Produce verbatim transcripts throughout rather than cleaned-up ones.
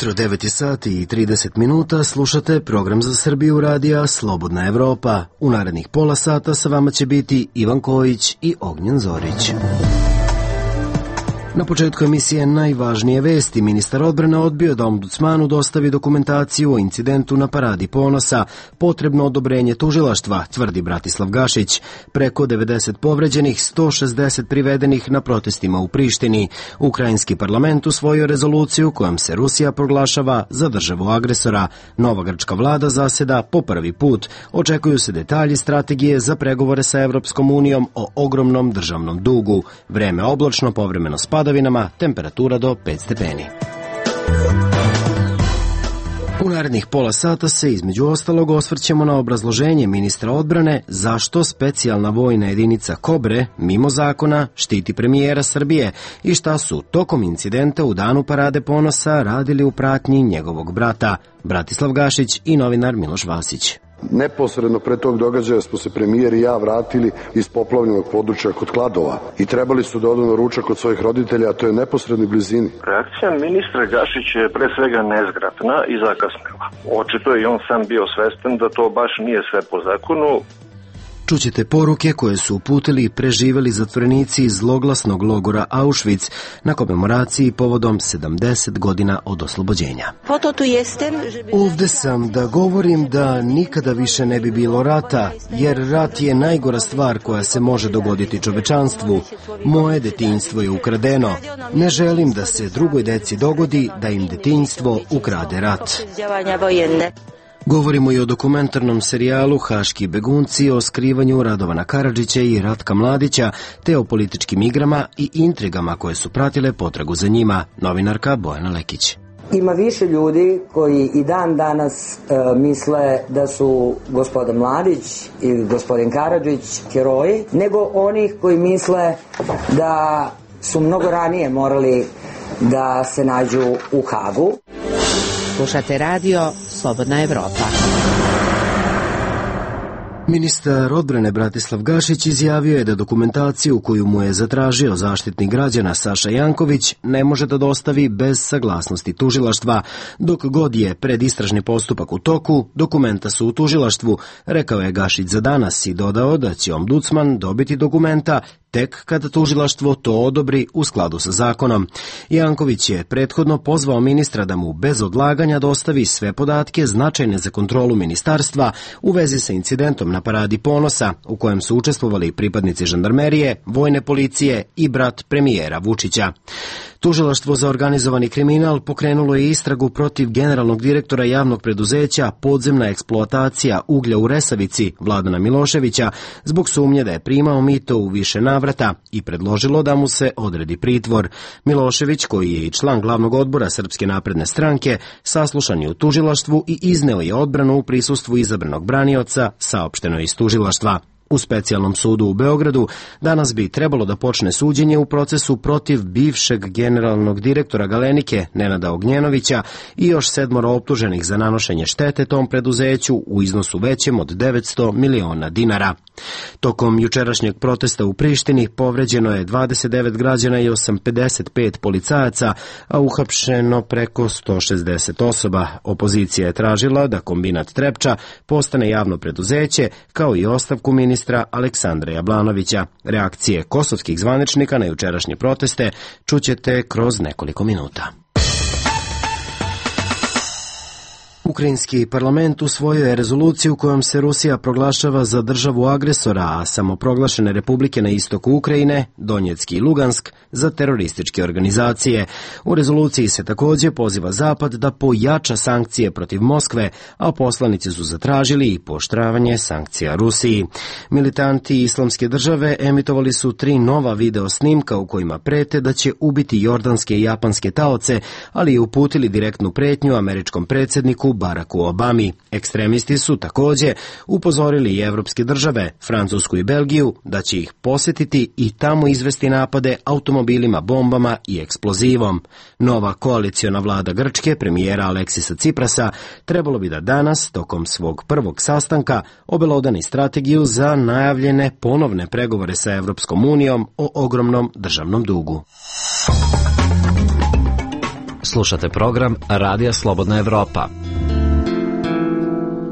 ujutro, devet sati i trideset minuta, slušate program za Srbiju radija Slobodna Evropa. U narednih pola sata sa vama će biti Ivan Kojić i Ognjen Zorić. Na početku emisije najvažnije vesti. Ministar odbrane odbio da ombudsmanu dostavi dokumentaciju o incidentu na Paradi ponosa. Potrebno odobrenje tužilaštva, tvrdi Bratislav Gašić. Preko devedeset povređenih, sto šezdeset privedenih na protestima u Prištini. Ukrajinski parlament usvojio rezoluciju kojom se Rusija proglašava za državu agresora. Nova grčka vlada zaseda po prvi put. Očekuju se detalji strategije za pregovore sa Evropskom unijom o ogromnom državnom dugu. Vreme oblačno, povremeno spada, temperatura do pet stepeni. U narednih pola sata se između ostalog osvrćemo na obrazloženje ministra odbrane zašto specijalna vojna jedinica Kobre, mimo zakona, štiti premijera Srbije i šta su tokom incidenta u danu Parade ponosa radili u pratnji njegovog brata, Bratislav Gašić i novinar Miloš Vasić. Neposredno pre tog događaja smo se premijer i ja vratili iz poplavljenog područja kod Kladova i trebali su da odu na ručak kod svojih roditelja, a to je neposrednoj blizini. Reakcija ministra Gašića je pre svega nezgrapna i zakasnila. Očito je i on sam bio svestan da to baš nije sve po zakonu. Čućete poruke koje su uputili i preživeli zatvorenici iz zloglasnog logora Auschwitz na komemoraciji povodom sedamdeset godina od oslobođenja. Ovde sam da govorim da nikada više ne bi bilo rata, jer rat je najgora stvar koja se može dogoditi čovečanstvu. Moje detinjstvo je ukradeno. Ne želim da se drugoj deci dogodi da im detinjstvo ukrade rat. Govorimo i o dokumentarnom serijalu Haški begunci, o skrivanju Radovana Karadžića i Ratka Mladića, te o političkim igrama i intrigama koje su pratile potragu za njima. Novinarka Bojana Lekić. Ima više ljudi koji i dan danas e, misle da su gospodin Mladić i gospodin Karadžić heroji, nego onih koji misle da su mnogo ranije morali da se nađu u Hagu. Slušate radio Slobodna Evropa. Ministar odbrane Bratislav Gašić izjavio je da dokumentaciju koju mu je zatražio zaštitnik građana Saša Janković ne može da dostavi bez saglasnosti tužilaštva. Dok god je predistražni postupak u toku, dokumenta su u tužilaštvu, rekao je Gašić za Danas i dodao da će ombudsman dobiti dokumenta tek kada tužilaštvo to odobri u skladu sa zakonom. Janković je prethodno pozvao ministra da mu bez odlaganja dostavi sve podatke značajne za kontrolu ministarstva u vezi sa incidentom na Paradi ponosa, u kojem su učestvovali pripadnici žandarmerije, vojne policije i brat premijera Vučića. Tužilaštvo za organizovani kriminal pokrenulo je istragu protiv generalnog direktora javnog preduzeća Podzemna eksploatacija uglja u Resavici, Vladana Miloševića, zbog sumnje da je primao mito u više navrata i predložilo da mu se odredi pritvor. Milošević, koji je i član glavnog odbora Srpske napredne stranke, saslušan je u tužilaštvu i izneo je odbranu u prisustvu izabranog branioca, saopšteno iz tužilaštva. U specijalnom sudu u Beogradu danas bi trebalo da počne suđenje u procesu protiv bivšeg generalnog direktora Galenike Nenada Ognjenovića i još sedmoro optuženih za nanošenje štete tom preduzeću u iznosu većem od devetsto miliona dinara. Tokom jučerašnjeg protesta u Prištini povređeno je dvadeset devet građana i pedeset pet policajaca, a uhapšeno preko sto šezdeset osoba. Opozicija je tražila da kombinat Trepča postane javno preduzeće, kao i ostavku ministra Aleksandra Jablanovića. Reakcije kosovskih zvaničnika na jučerašnje proteste čućete kroz nekoliko minuta. Ukrajinski parlament usvojio je rezoluciju kojom se Rusija proglašava za državu agresora, a samoproglašene republike na istoku Ukrajine, Donjecki i Lugansk, za terorističke organizacije. U rezoluciji se također poziva Zapad da pojača sankcije protiv Moskve, a poslanici su zatražili i pooštravanje sankcija Rusiji. Militanti Islamske države emitovali su tri nova video snimka u kojima prete da će ubiti jordanske i japanske taoce, ali i uputili direktnu pretnju američkom predsjedniku Baracku Obami. Ekstremisti su također upozorili i evropske države, Francusku i Belgiju, da će ih posjetiti i tamo izvesti napade automobilima, bombama i eksplozivom. Nova koaliciona vlada Grčke, premijera Aleksisa Ciprasa, trebalo bi da danas, tokom svog prvog sastanka, obelodani strategiju za najavljene ponovne pregovore sa Evropskom unijom o ogromnom državnom dugu. Slušate program Radija Slobodna Evropa.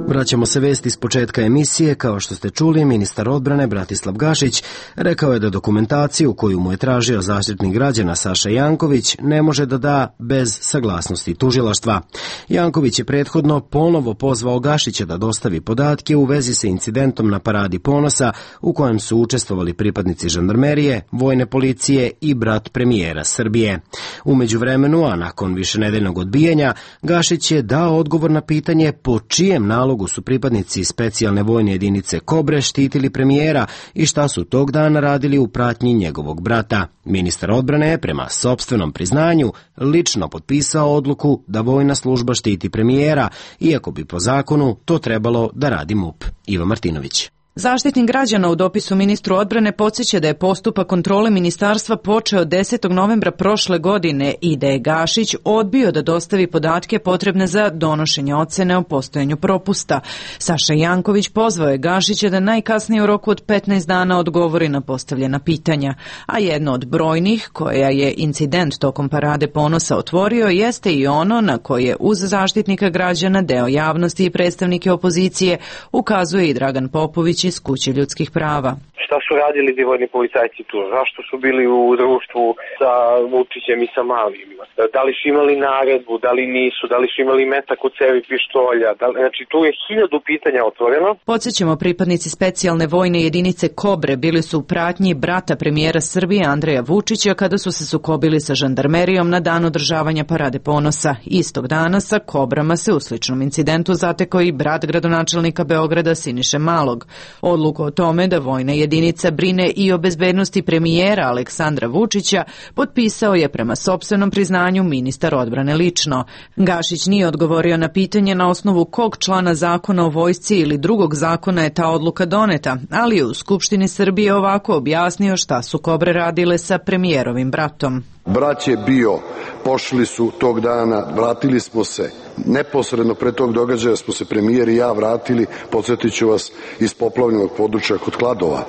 Vraćamo se vesti s početka emisije. Kao što ste čuli, ministar odbrane Bratislav Gašić rekao je da dokumentaciju koju mu je tražio zaštitnik građana Saša Janković ne može da da bez saglasnosti tužilaštva. Janković je prethodno ponovo pozvao Gašića da dostavi podatke u vezi sa incidentom na Paradi ponosa u kojem su učestvovali pripadnici žandarmerije, vojne policije i brat premijera Srbije. U međuvremenu, a nakon višenedeljnog odbijanja, Gašić je dao odgovor na pitanje po čijem nalogu su pripadnici specijalne vojne jedinice Kobre štitili premijera i šta su tog dana radili u pratnji njegovog brata. Ministar odbrane je prema sopstvenom priznanju lično potpisao odluku da vojna služba štiti premijera, iako bi po zakonu to trebalo da radi MUP. Iva Martinović. Zaštitnik građana u dopisu ministru odbrane podsjeća da je postupak kontrole ministarstva počeo desetog novembra prošle godine i da je Gašić odbio da dostavi podatke potrebne za donošenje ocene o postojanju propusta. Saša Janković pozvao je Gašića da najkasnije u roku od petnaest dana odgovori na postavljena pitanja, a jedno od brojnih koja je incident tokom Parade ponosa otvorio jeste i ono na koje uz zaštitnika građana, deo javnosti i predstavnike opozicije ukazuje i Dragan Popović iz Kuće ljudskih prava. Šta su radili divojni policajci tu? Zašto su bili u društvu sa Vučićem i sa Malim? Da li su imali naredbu, da li nisu, da li su imali metak u cevi pištolja? Da li, znači tu je hiljadu pitanja otvoreno. Podsjećamo, pripadnici specijalne vojne jedinice Kobre bili su u pratnji brata premijera Srbije Andreja Vučića kada su se sukobili sa žandarmerijom na dan održavanja Parade ponosa. Istog dana sa Kobrama se u sličnom incidentu zatekao i brat gradonačelnika Beograda Siniše Malog. Odluku o tome da vojna jedinica brine i o bezbednosti premijera Aleksandra Vučića potpisao je prema sopstvenom priznanju ministar odbrane lično. Gašić nije odgovorio na pitanje na osnovu kog člana zakona o vojsci ili drugog zakona je ta odluka doneta, ali je u Skupštini Srbije ovako objasnio šta su Kobre radile sa premijerovim bratom. Brat je bio, pošli su tog dana, vratili smo se. Neposredno pre tog događaja smo se premijer i ja vratili, podsjetit ću vas, iz poplavljenog područja kod Kladova.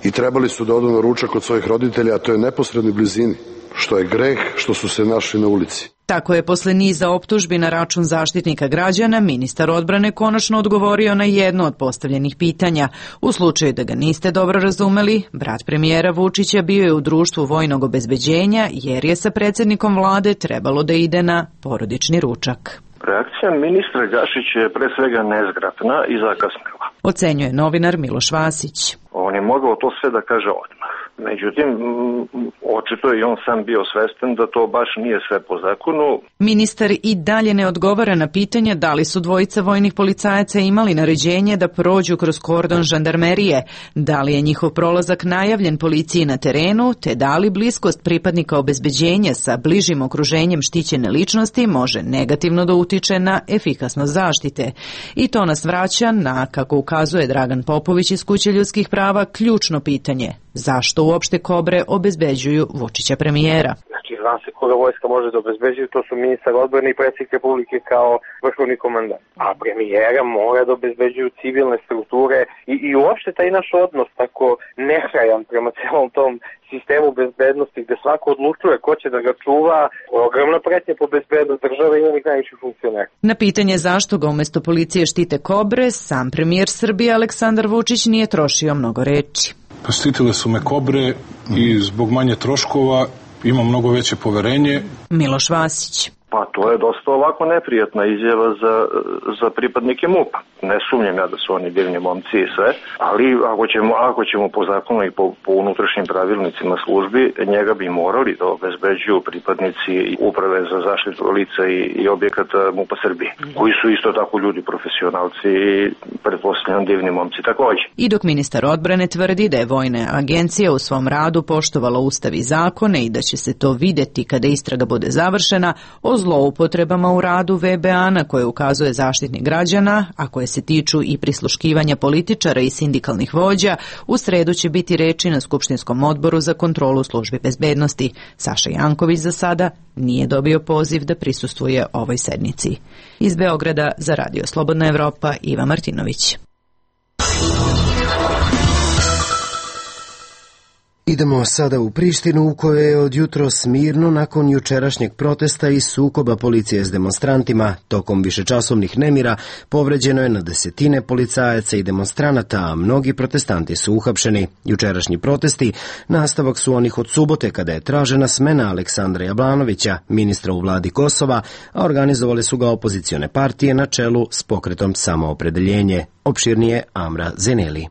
I trebali su da odu na ručak kod svojih roditelja, a to je neposrednoj blizini, što je greh što su se našli na ulici. Tako je posle niza optužbi na račun zaštitnika građana ministar odbrane konačno odgovorio na jedno od postavljenih pitanja. U slučaju da ga niste dobro razumeli, brat premijera Vučića bio je u društvu vojnog obezbeđenja jer je sa predsjednikom vlade trebalo da ide na porodični ručak. Reakcija ministra Gašića je pre svega nezgrapna i zakasnila, ocenjuje novinar Miloš Vasić. On je mogao to sve da kaže odmah. Međutim, očito je i on sam bio svestan da to baš nije sve po zakonu. Ministar i dalje ne odgovara na pitanje da li su dvojica vojnih policajaca imali naređenje da prođu kroz kordon žandarmerije, da li je njihov prolazak najavljen policiji na terenu, te da li bliskost pripadnika obezbeđenja sa bližim okruženjem štićene ličnosti može negativno da utiče na efikasnost zaštite. I to nas vraća na, kako ukazuje Dragan Popović iz Kuće ljudskih prava, ključno pitanje. Zašto uopšte Kobre obezbeđuju Vučića premijera? Znači, zna se koga vojska može da obezbeđuju, to su ministar odbrane i predsjednik Republike kao vrhovni komandant. A premijera mora da obezbeđuju civilne strukture i, i uopšte taj naš odnos tako nehrajan prema celom tom sistemu bezbednosti gde svako odlučuje ko će da ga čuva, ogromna pretnja po bezbednost države i onih najviših funkcionera. Na pitanje zašto ga umesto policije štite Kobre, sam premijer Srbije Aleksandar Vučić nije trošio mnogo reči. Štitile su me Kobre i zbog manje troškova imam mnogo veće poverenje. Miloš Vasić. Pa to je dosta ovako neprijatna izjava za, za pripadnike MUP-a. Ne sumnjam ja da su oni divni momci i sve, ali ako ćemo, ako ćemo po zakonu i po, po unutrašnjim pravilnicima službi, njega bi morali da obezbeđuju pripadnici uprave za zaštitu lica i, i objekata MUP-a Srbije, koji su isto tako ljudi profesionalci i pretpostavljam divni momci takođe. I dok ministar odbrane tvrdi da je vojna agencija u svom radu poštovala ustav i zakone i da će se to videti kada istraga bude završena, o zloupotrebama u radu V B A na koje ukazuje zaštitnik građana, a koje se tiču i prisluškivanja političara i sindikalnih vođa, u sredu će biti reči na Skupštinskom odboru za kontrolu službi bezbednosti. Saša Janković za sada nije dobio poziv da prisustvuje ovoj sednici. Iz Beograda za Radio Slobodna Evropa, Iva Martinović. Idemo sada u Prištinu u kojoj je od jutros mirno nakon jučerašnjeg protesta i sukoba policije s demonstrantima. Tokom višečasovnih nemira povređeno je na desetine policajaca i demonstranata, a mnogi protestanti su uhapšeni. Jučerašnji protesti nastavak su onih od subote kada je tražena smena Aleksandra Jablanovića, ministra u vladi Kosova, a organizovali su ga opozicione partije na čelu s pokretom Samoopredeljenje. Opširnije Amra Zeneli.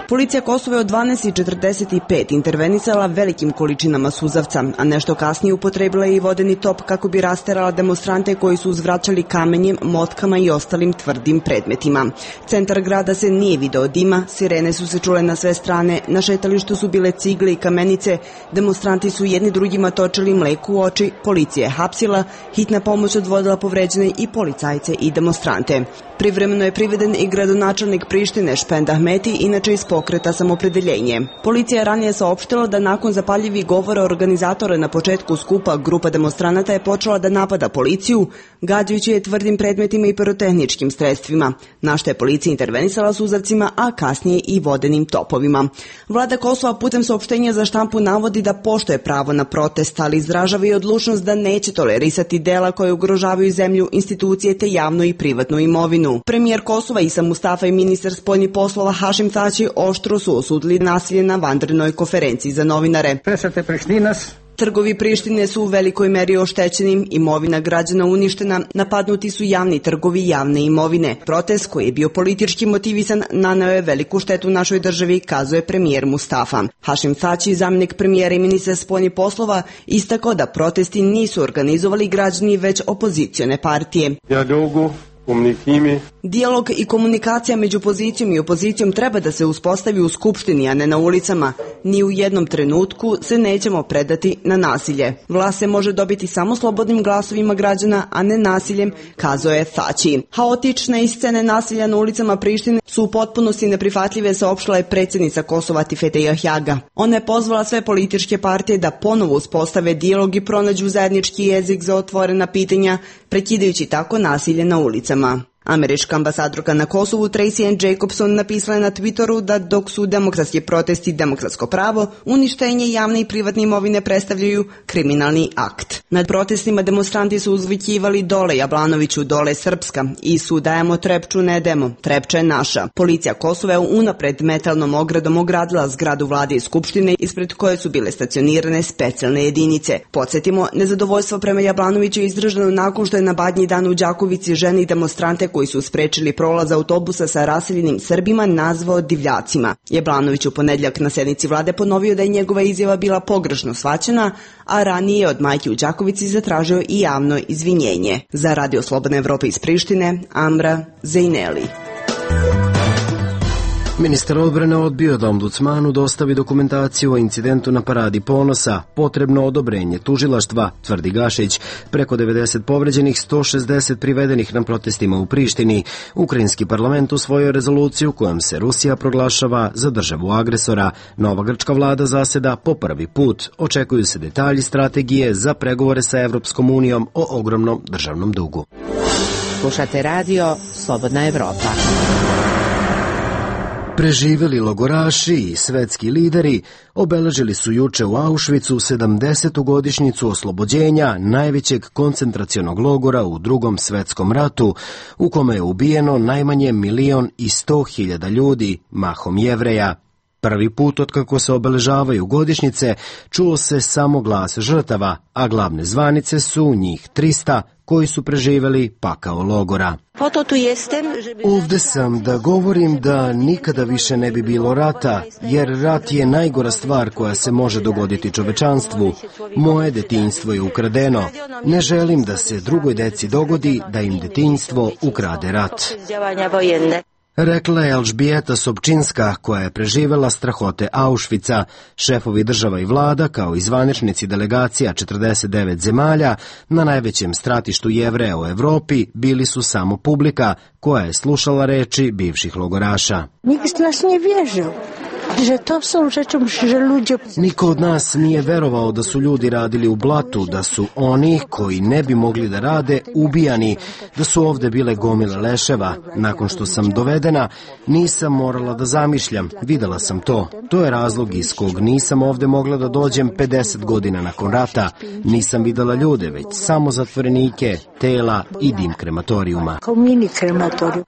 Policija Kosova je od dvanaest četrdeset pet intervenisala velikim količinama suzavca, a nešto kasnije upotrebila je i vodeni top kako bi rasterala demonstrante koji su uzvraćali kamenjem, motkama i ostalim tvrdim predmetima. Centar grada se nije video dima, sirene su se čule na sve strane, na šetalištu su bile cigle i kamenice, demonstranti su jedni drugima točili mleku u oči, policija je hapsila, hitna pomoć odvodila povređene i policajce i demonstrante. Privremeno je priveden i gradonačelnik Prištine Špend Ahmeti, inače iz pokreta Samoopredeljenje. Policija je ranije saopštila da nakon zapaljivih govora organizatora na početku skupa grupa demonstranata je počela da napada policiju, gađajući je tvrdim predmetima i pirotehničkim sredstvima, na što je policija intervenisala suzavcima, a kasnije i vodenim topovima. Vlada Kosova putem saopštenja za štampu navodi da poštuje pravo na protest, ali izražava i odlučnost da neće tolerisati dela koje ugrožavaju zemlju, institucije te javnu i privatnu imovinu. Premijer Kosova Isa Mustafa i ministar spoljnih poslova Hašim Tači oštro su osudili nasilje na vanrednoj konferenciji za novinare. Trgovi Prištine su u velikoj meri oštećeni, imovina građana uništena, napadnuti su javni trgovi javne imovine. Protest koji je bio politički motivisan naneo je veliku štetu našoj državi, kazuje premijer Mustafa. Hašim Tači, zamjenik premijera i ministar spoljnih poslova, istakao da protesti nisu organizovali građani već opozicione partije. Dijalog i komunikacija među pozicijom i opozicijom treba da se uspostavi u Skupštini, a ne na ulicama. Ni u jednom trenutku se nećemo predati na nasilje. Vlast se može dobiti samo slobodnim glasovima građana, a ne nasiljem, kazao je Tači. Haotične scene nasilja na ulicama Prištine su u potpunosti neprihvatljive, saopštila je predsjednica Kosova Tifete Jahjaga. Ona je pozvala sve političke partije da ponovo uspostave dijalog i pronađu zajednički jezik za otvorena pitanja, prekidajući tako nasilje na ulicama. Američka ambasadorka na Kosovu Tracy Ann Jacobson napisala je na Twitteru da dok su demokratski protesti demokratsko pravo, uništenje javne i privatne imovine predstavljaju kriminalni akt. Nad protestima demonstranti su uzvikivali dole Jablanoviću, dole Srpska i su dajemo Trepču, ne demo, Trepča je naša. Policija Kosova je unapred metalnom ogradom ogradila zgradu vlade i skupštine ispred koje su bile stacionirane specijalne jedinice. Podsjetimo, nezadovoljstvo prema Jablanoviću je izraženo nakon što je na Badnji dan u Đakovici ženi demonstrante koji su sprečili prolaz autobusa sa raseljenim Srbima nazvao divljacima. Jablanović u ponedjeljak na sednici vlade ponovio da je njegova izjava bila pogrešno shvaćena, a ranije od majke u Đakovici zatražio i javno izvinjenje. Za Radio Slobodne Evrope iz Prištine, Amra Zejneli. Ministar odbrane odbio da ombudsmanu dostavi dokumentaciju o incidentu na Paradi ponosa, potrebno odobrenje tužilaštva, tvrdi Gašić. Preko devedeset povređenih, sto šezdeset privedenih na protestima u Prištini. Ukrajinski parlament usvojio rezoluciju kojom se Rusija proglašava za državu agresora. Nova grčka vlada zaseda po prvi put. Očekuju se detalji strategije za pregovore sa Evropskom unijom o ogromnom državnom dugu. Slušate radio Slobodna Evropa. Preživeli logoraši i svetski lideri obeležili su juče u Auschwitzu sedamdesetu godišnjicu oslobođenja najvećeg koncentracionog logora u Drugom svetskom ratu, u kome je ubijeno najmanje milion i sto hiljada ljudi, mahom Jevreja. Prvi put otkako se obeležavaju godišnjice čuo se samo glas žrtava, a glavne zvanice su njih trista koji su preživeli pakao logora. Ovde sam da govorim da nikada više ne bi bilo rata, jer rat je najgora stvar koja se može dogoditi čovečanstvu. Moje detinjstvo je ukradeno. Ne želim da se drugoj deci dogodi da im detinjstvo ukrade rat. Rekla je Elžbijeta Sobčinska, koja je preživela strahote Auschwitza. Šefovi država i vlada, kao i zvaničnici delegacija četrdeset devet zemalja, na najvećem stratištu Jevreja u Evropi bili su samo publika koja je slušala reči bivših logoraša. Nikt nas ne vježao. Niko od nas nije verovao da su ljudi radili u blatu, da su oni koji ne bi mogli da rade ubijani, da su ovde bile gomile leševa. Nakon što sam dovedena, nisam morala da zamišljam, videla sam to. To je razlog iz kog nisam ovde mogla da dođem pedeset godina nakon rata. Nisam videla ljude, već samo zatvorenike, tela i dim krematorijuma.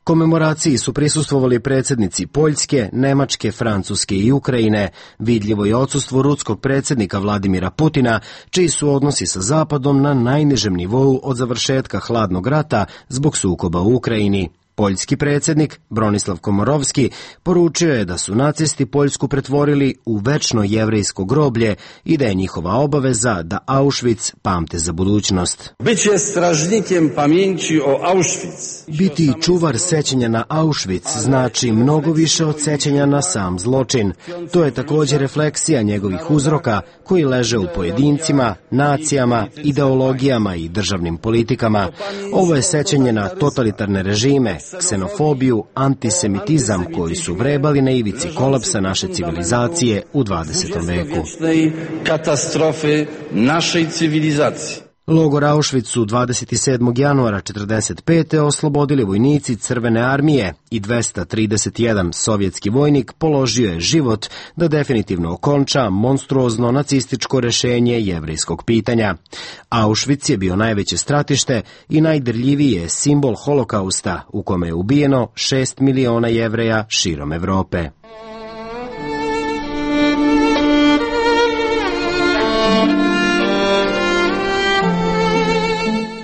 Komemoraciji su prisustvovali predsjednici Poljske, Nemačke, Francuske i Ukrajine. Vidljivo je odsustvo ruskog predsjednika Vladimira Putina, čiji su odnosi sa Zapadom na najnižem nivou od završetka hladnog rata zbog sukoba u Ukrajini. Poljski predsjednik Bronislav Komorovski poručio je da su nacisti Poljsku pretvorili u večno jevrejsko groblje i da je njihova obaveza da Auschwitz pamte za budućnost. Biće stražnikiem pamjenći o Auschwitz. Biti čuvar sećanja na Auschwitz znači mnogo više od sećanja na sam zločin. To je također refleksija njegovih uzroka koji leže u pojedincima, nacijama, ideologijama i državnim politikama. Ovo je sećanje na totalitarne režime, ksenofobiju, antisemitizam koji su vrebali na ivici kolapsa naše civilizacije u dvadesetom veku. Katastrofe naše civilizacije. Logor Auschwitz su dvadeset sedmog januara četrdeset pete oslobodili vojnici Crvene armije i dvesta trideset jedan sovjetski vojnik položio je život da definitivno okonča monstruozno nacističko rešenje jevrejskog pitanja. Auschwitz je bio najveće stratište i najdirljiviji je simbol holokausta u kome je ubijeno šest miliona Jevreja širom Evrope.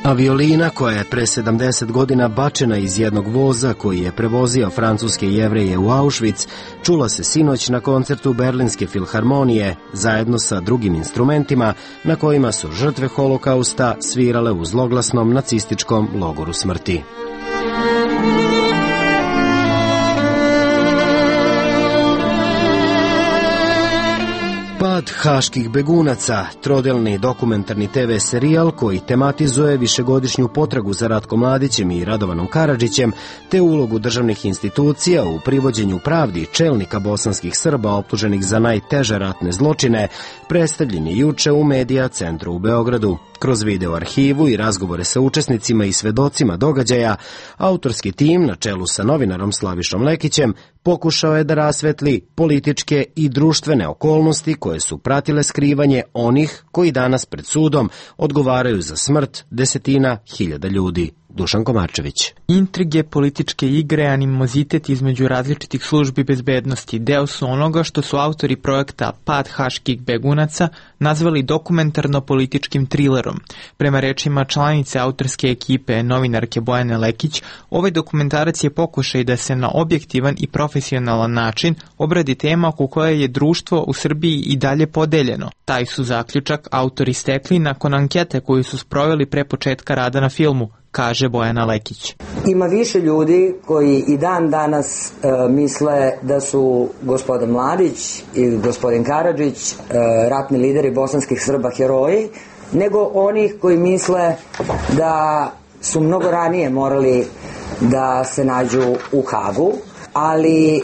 Aviolina koja je pre sedamdeset godina bačena iz jednog voza koji je prevozio francuske Jevreje u Auschwitz, čula se sinoć na koncertu Berlinske filharmonije zajedno sa drugim instrumentima na kojima su žrtve holokausta svirale u zloglasnom nacističkom logoru smrti. Pad haških begunaca, trodelni dokumentarni te ve serijal koji tematizuje višegodišnju potragu za Ratkom Mladićem i Radovanom Karadžićem, te ulogu državnih institucija u privođenju pravdi čelnika bosanskih Srba optuženih za najteže ratne zločine, predstavljen je juče u Medija centru u Beogradu. Kroz video arhivu i razgovore sa učesnicima i svedocima događaja, autorski tim na čelu sa novinarom Slavišom Lekićem pokušao je da rasvetli političke i društvene okolnosti koje su pratile skrivanje onih koji danas pred sudom odgovaraju za smrt desetina hiljada ljudi. Dušan Komarčević. Intrige, političke igre, animozitet između različitih službi bezbednosti deo su onoga što su autori projekta Pad haških begunaca nazvali dokumentarno-političkim trilerom. Prema rečima članice autorske ekipe, novinarke Bojane Lekić, ovaj dokumentarac je pokušaj da se na objektivan i profesionalan način obradi tema oko koje je društvo u Srbiji i dalje podeljeno. Taj su zaključak autori stekli nakon ankete koju su sproveli pre početka rada na filmu, kaže Bojana Lekić. Ima više ljudi koji i dan danas e, misle da su gospodin Mladić i gospodin Karadžić, e, ratni lideri bosanskih Srba, heroji, nego onih koji misle da su mnogo ranije morali da se nađu u Hagu, ali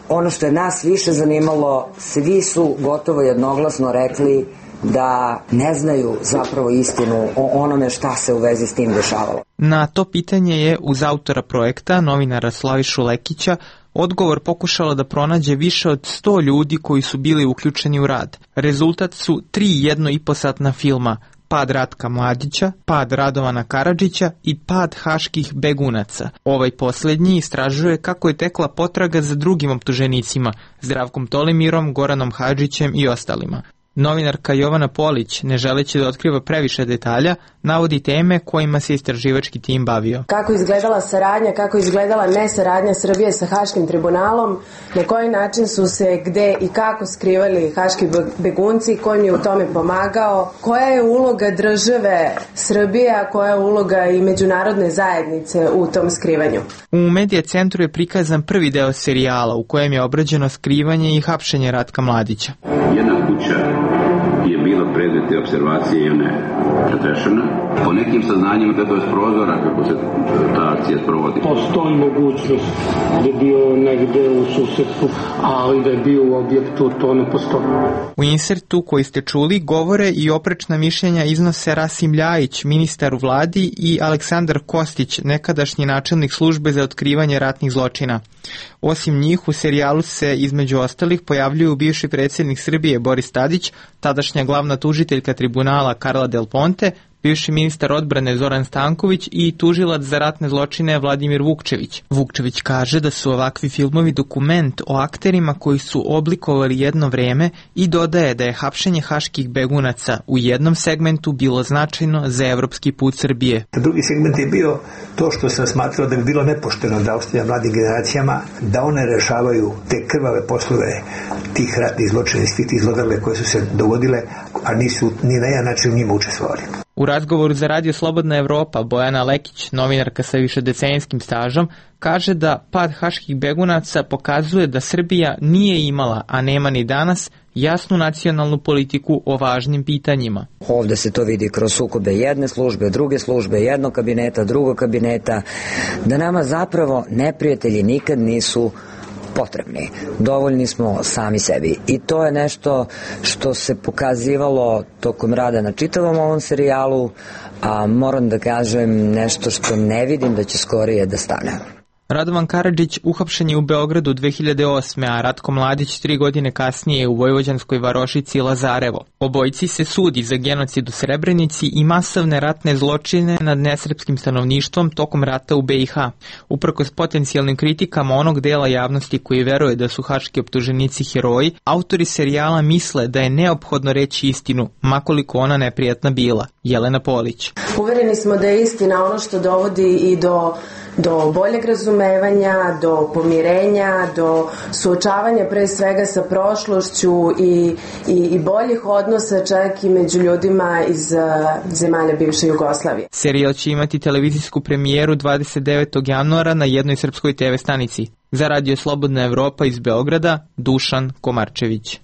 ono što je nas više zanimalo, svi su gotovo jednoglasno rekli da ne znaju zapravo istinu o onome šta se u vezi s tim dešavalo. Na to pitanje je uz autora projekta, novinara Slavišu Lekića, odgovor pokušala da pronađe više od sto ljudi koji su bili uključeni u rad. Rezultat su tri jedno i po satna filma: Pad Ratka Mladića, Pad Radovana Karadžića i Pad haških begunaca. Ovaj posljednji istražuje kako je tekla potraga za drugim optuženicima, Zdravkom Tolimirom, Goranom Hadžićem i ostalima. Novinarka Jovana Polić, ne želeći da otkriva previše detalja, navodi teme kojima se istraživački tim bavio. Kako izgledala saradnja, kako izgledala nesaradnja Srbije sa Haškim tribunalom, na koji način su se gde i kako skrivali haški begunci, ko im je u tome pomagao, koja je uloga države Srbije, a koja je uloga i međunarodne zajednice u tom skrivanju. U Medija centru je prikazan prvi deo serijala u kojem je obrađeno skrivanje i hapšenje Ratka Mladića. Jedna kuća je bila predmet observacije i one pretrešene. Po nekim saznanjima gledao je s prozora kako se ta akcija sprovodi. Postoji mogućnost da je bio negde u susedstvu, ali da je bio u objektu, to ne postoji. U insertu koji ste čuli govore i oprečna mišljenja iznose Rasim Ljajić, ministar u vladi, i Aleksandar Kostić, nekadašnji načelnik službe za otkrivanje ratnih zločina. Osim njih, u serijalu se između ostalih pojavljuju bivši predsjednik Srbije Boris Tadić, tadašnja glavna tužiteljka tribunala Karla Del Ponte, bivši ministar odbrane Zoran Stanković i tužilac za ratne zločine Vladimir Vukčević. Vukčević kaže da su ovakvi filmovi dokument o akterima koji su oblikovali jedno vreme i dodaje da je hapšenje haških begunaca u jednom segmentu bilo značajno za evropski put Srbije. Drugi segment je bio to što sam smatrao da bi bilo nepošteno da ostavlja mladim generacijama da one rešavaju te krvave poslove tih ratnih zločina i svih tih zlodrle koje su se dogodile, a nisu ni na jedan način u njima učestvovali. U razgovoru za Radio Slobodna Evropa Bojana Lekić, novinarka sa višedecenijskim stažom, kaže da pad haških begunaca pokazuje da Srbija nije imala, a nema ni danas, jasnu nacionalnu politiku o važnim pitanjima. Ovde se to vidi kroz sukobe jedne službe, druge službe, jednog kabineta, drugog kabineta, da nama zapravo neprijatelji nikad nisu potrebni. Dovoljni smo sami sebi. I to je nešto što se pokazivalo tokom rada na čitavom ovom serijalu, a moram da kažem nešto što ne vidim da će skorije da stane. Radovan Karadžić uhapšen je u Beogradu dve hiljade osme. a Ratko Mladić tri godine kasnije u vojvođanskoj varošici Lazarevo. Obojici se sudi za genocid u Srebrenici i masovne ratne zločine nad nesrpskim stanovništvom tokom rata u be i ha. Uprkos potencijalnim kritikama onog dela javnosti koji veruje da su haški optuženici heroji, autori serijala misle da je neophodno reći istinu, makoliko ona neprijatna bila. Jelena Polić. Uvereni smo da je istina ono što dovodi i do do boljeg razumevanja, do pomirenja, do suočavanja pre svega sa prošlošću i, i, i boljih odnosa čak i među ljudima iz uh, zemalja bivše Jugoslavije. Serijal će imati televizijsku premijeru dvadeset devetog januara na jednoj srpskoj te ve stanici. Za Radio Slobodna Evropa iz Beograda, Dušan Komarčević.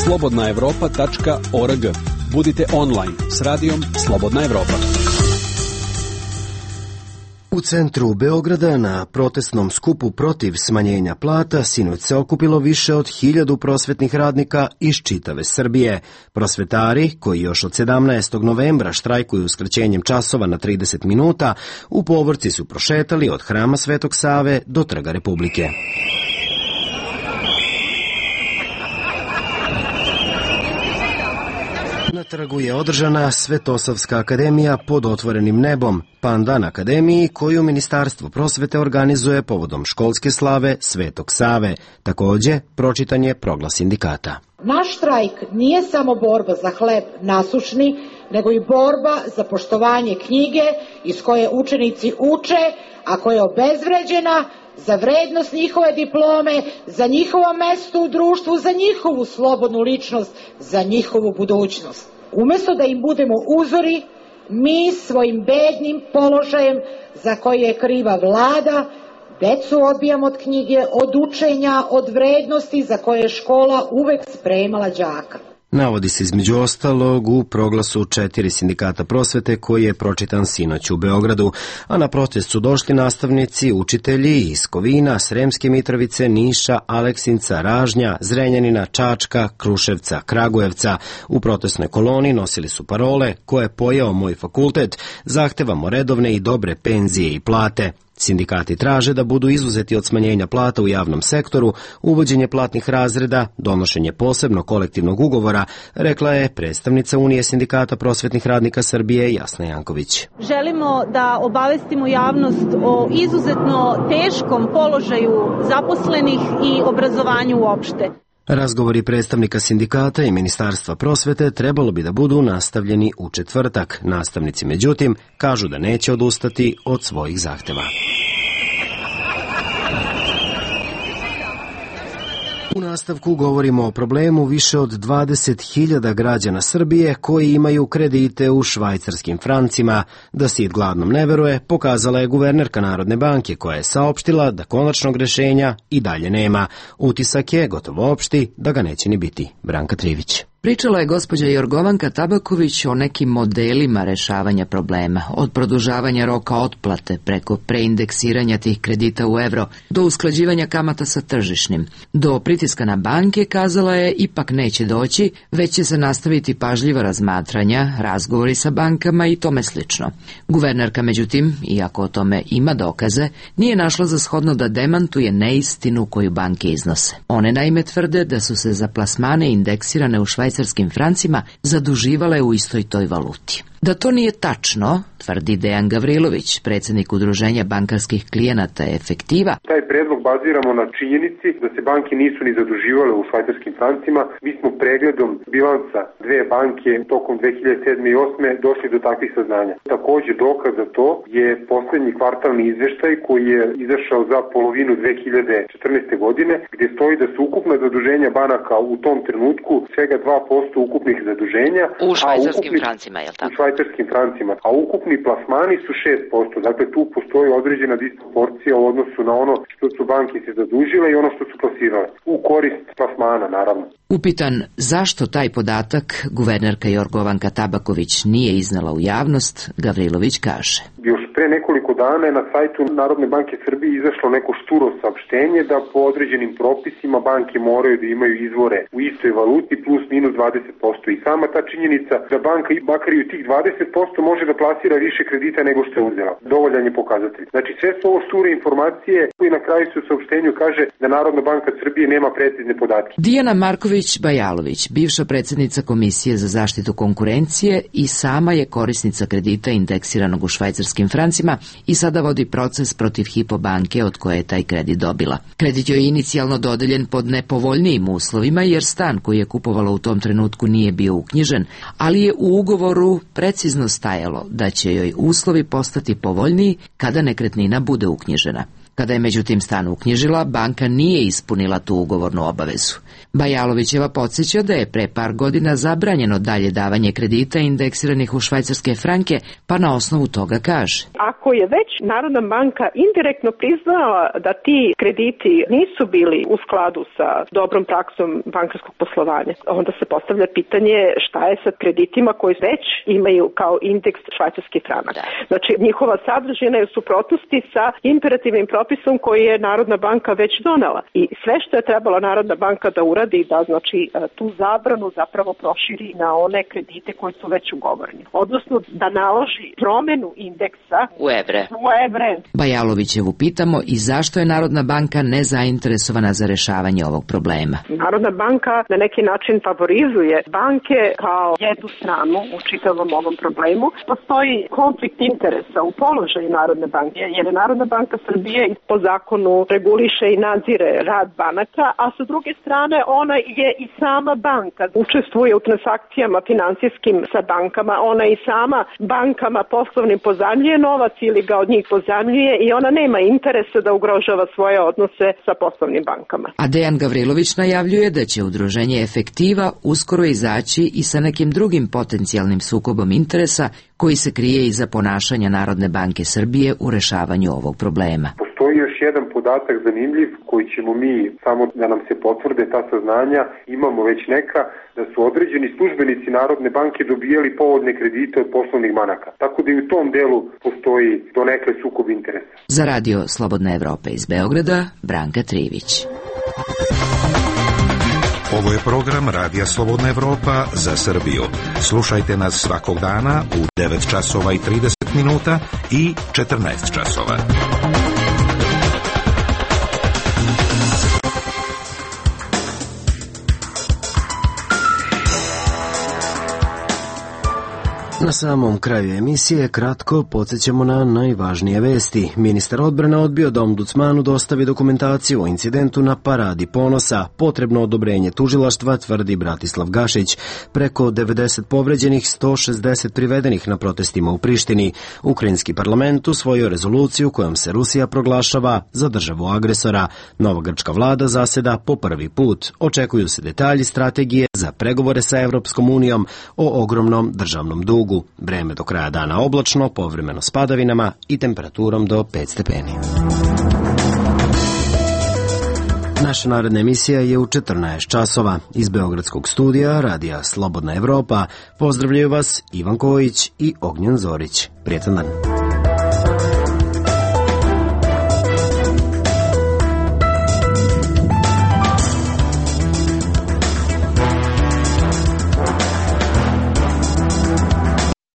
slobodna evropa tačka org. Budite online s radijom Slobodna Evropa. U centru Beograda na protestnom skupu protiv smanjenja plata sinoć se okupilo više od hiljadu prosvetnih radnika iz čitave Srbije. Prosvetari, koji još od sedamnaestog novembra štrajkuju skraćenjem časova na trideset minuta, u povorci su prošetali od Hrama Svetog Save do Trga Republike. Na trgu je održana Svetosavska akademija pod otvorenim nebom, pandan akademiji koju Ministarstvo prosvete organizuje povodom školske slave Svetog Save. Takođe, pročitan je proglas sindikata. Naš štrajk nije samo borba za hleb nasušni, nego i borba za poštovanje knjige iz koje učenici uče, a koja je obezvređena, za vrednost njihove diplome, za njihovo mesto u društvu, za njihovu slobodnu ličnost, za njihovu budućnost. Umesto da im budemo uzori, mi svojim bednim položajem za koje je kriva vlada, decu odbijamo od knjige, od učenja, od vrednosti za koje je škola uvek spremala đaka. Navodi se između ostalog u proglasu četiri sindikata prosvete koji je pročitan sinoć u Beogradu, a na protest su došli nastavnici, učitelji iz Kovina, Sremske Mitrovice, Niša, Aleksinca, Ražnja, Zrenjanina, Čačka, Kruševca, Kragujevca. U protestnoj koloni nosili su parole koje je pojeo moj fakultet, zahtevamo redovne i dobre penzije i plate. Sindikati traže da budu izuzeti od smanjenja plata u javnom sektoru, uvođenje platnih razreda, donošenje posebnog kolektivnog ugovora, rekla je predstavnica Unije sindikata prosvetnih radnika Srbije Jasna Janković. Želimo da obavestimo javnost o izuzetno teškom položaju zaposlenih i obrazovanju uopšte. Razgovori predstavnika sindikata i Ministarstva prosvete trebalo bi da budu nastavljeni u četvrtak. Nastavnici, međutim, kažu da neće odustati od svojih zahteva. U nastavku govorimo o problemu više od dvadeset hiljada građana Srbije koji imaju kredite u švajcarskim francima. Da sit gladnom ne veruje, pokazala je guvernerka Narodne banke koja je saopštila da konačnog rešenja i dalje nema. Utisak je gotovo opšti da ga neće ni biti. Branka Trivić. Pričala je gospođa Jorgovanka Tabaković o nekim modelima rešavanja problema, od produžavanja roka otplate preko preindeksiranja tih kredita u evro, do usklađivanja kamata sa tržišnim. Do pritiska na banke, kazala je, ipak neće doći, već će se nastaviti pažljiva razmatranja, razgovori sa bankama i tome slično. Guvernerka, međutim, iako o tome ima dokaze, nije našla za shodno da demantuje neistinu koju banke iznose. One naime tvrde da su se za plasmane indeksirane u švajcarskim francima zaduživale u istoj toj valuti. Da to nije tačno, tvrdi Dejan Gavrilović, predsjednik udruženja bankarskih klijenata Efektiva. Taj predlog baziramo na činjenici da se banke nisu ni zaduživale u švajcarskim francima. Mi smo pregledom bilansa dve banke tokom dve hiljade sedme i osme došli do takvih saznanja. Također dokaz za to je posljednji kvartalni izveštaj koji je izašao za polovinu dve hiljade četrnaeste. godine, gdje stoji da su ukupna zaduženja banaka u tom trenutku svega dva posto ukupnih zaduženja. U švajcarskim ukupni... francima, je li tako? švajcarskim francima, a ukupni plasmani su šest posto. Dakle, tu postoji određena disproporcija u odnosu na ono što su banke se zadužile i ono što su plasirale. U korist plasmana, naravno. Upitan zašto taj podatak guvernerka Jorgovanka Tabaković nije iznala u javnost, Gavrilović kaže. Još pre nekoliko dana je na sajtu Narodne banke Srbije izašlo neko šturo saopštenje da po određenim propisima banke moraju da imaju izvore u istoj valuti plus minus dvadeset posto. I sama ta činjenica da banka makar i u tih dvadeset posto može da plasira više kredita nego što je uzela. Dovoljan je pokazatelj. Znači sve su ovo šture informacije koji na kraju su u saopštenju kaže da Narodna banka Srbije nema precizne podatke. Dijana Marković-Bajalović, bivša predsjednica Komisije za zaštitu konkurencije i sama je korisnica kredita indeksiranog u švajcarskim francima i sada vodi proces protiv Hypo banke od koje je taj kredit dobila. Kredit joj je inicijalno dodeljen pod nepovoljnijim uslovima jer stan koji je kupovala u tom trenutku nije bio uknjižen, ali je u ugovoru precizno stajalo da će joj uslovi postati povoljniji kada nekretnina bude uknjižena. Kada je međutim stan uknjižila, banka nije ispunila tu ugovornu obavezu. Bajalovićeva podsjeća da je pre par godina zabranjeno dalje davanje kredita indeksiranih u švajcarske franke, pa na osnovu toga kaže. Ako je već Narodna banka indirektno priznala da ti krediti nisu bili u skladu sa dobrom praksom bankarskog poslovanja, onda se postavlja pitanje šta je sa kreditima koji već imaju kao indeks švajcarski franak. Znači njihova sadržina je u suprotnosti sa imperativnim propisom koji je Narodna banka već donela. I sve što je trebala Narodna banka da uradi, da znači tu zabranu zapravo proširi na one kredite koji su već ugovoreni. Odnosno da naloži promenu indeksa u evre. U evre. Bajalovićevu pitamo i zašto je Narodna banka nezainteresovana za rešavanje ovog problema. Narodna banka na neki način favorizuje banke kao jednu stranu u čitavom ovom problemu. Postoji konflikt interesa u položaju Narodne banke, jer je Narodna banka Srbije po zakonu reguliše i nadzire rad banaka, a sa druge strane ona je i sama banka. Učestvuje u transakcijama finansijskim sa bankama, ona i sama bankama poslovnim pozajmljuje novac ili ga od njih pozajmljuje i ona nema interesa da ugrožava svoje odnose sa poslovnim bankama. A Dejan Gavrilović najavljuje da će udruženje Efektiva uskoro izaći i sa nekim drugim potencijalnim sukobom interesa koji se krije iza ponašanja Narodne banke Srbije u rešavanju ovog problema. Postoji još jedan podatak zanimljiv koji ćemo mi, samo da nam se potvrde ta saznanja, imamo već neka, da su određeni službenici Narodne banke dobijali povoljne kredite od poslovnih banaka. Tako da i u tom delu postoji donekle sukob interesa. Za radio Slobodna Evropa iz Beograda, Branka Trivić. Ovo je program Radija Slobodna Evropa za Srbiju. Slušajte nas svakog dana u devet časova i trideset minuta i četrnaest časova. Na samom kraju emisije kratko podsjećamo na najvažnije vesti. Ministar odbrane odbio da ombudsmanu dostavi dokumentaciju o incidentu na Paradi ponosa. Potrebno odobrenje tužilaštva, tvrdi Bratislav Gašić. Preko devedeset povređenih, sto šezdeset privedenih na protestima u Prištini. Ukrajinski parlament usvojio rezoluciju kojom se Rusija proglašava za državu agresora. Nova grčka vlada zaseda po prvi put. Očekuju se detalji strategije za pregovore sa Evropskom unijom o ogromnom državnom dugu. Vreme do kraja dana oblačno, povremeno s padavinama i temperaturom do pet stepeni. Naša naredna emisija je u četrnaest časova. Iz Beogradskog studija Radija Slobodna Evropa pozdravljaju vas Ivan Kojić i Ognjen Zorić. Prijetan dan.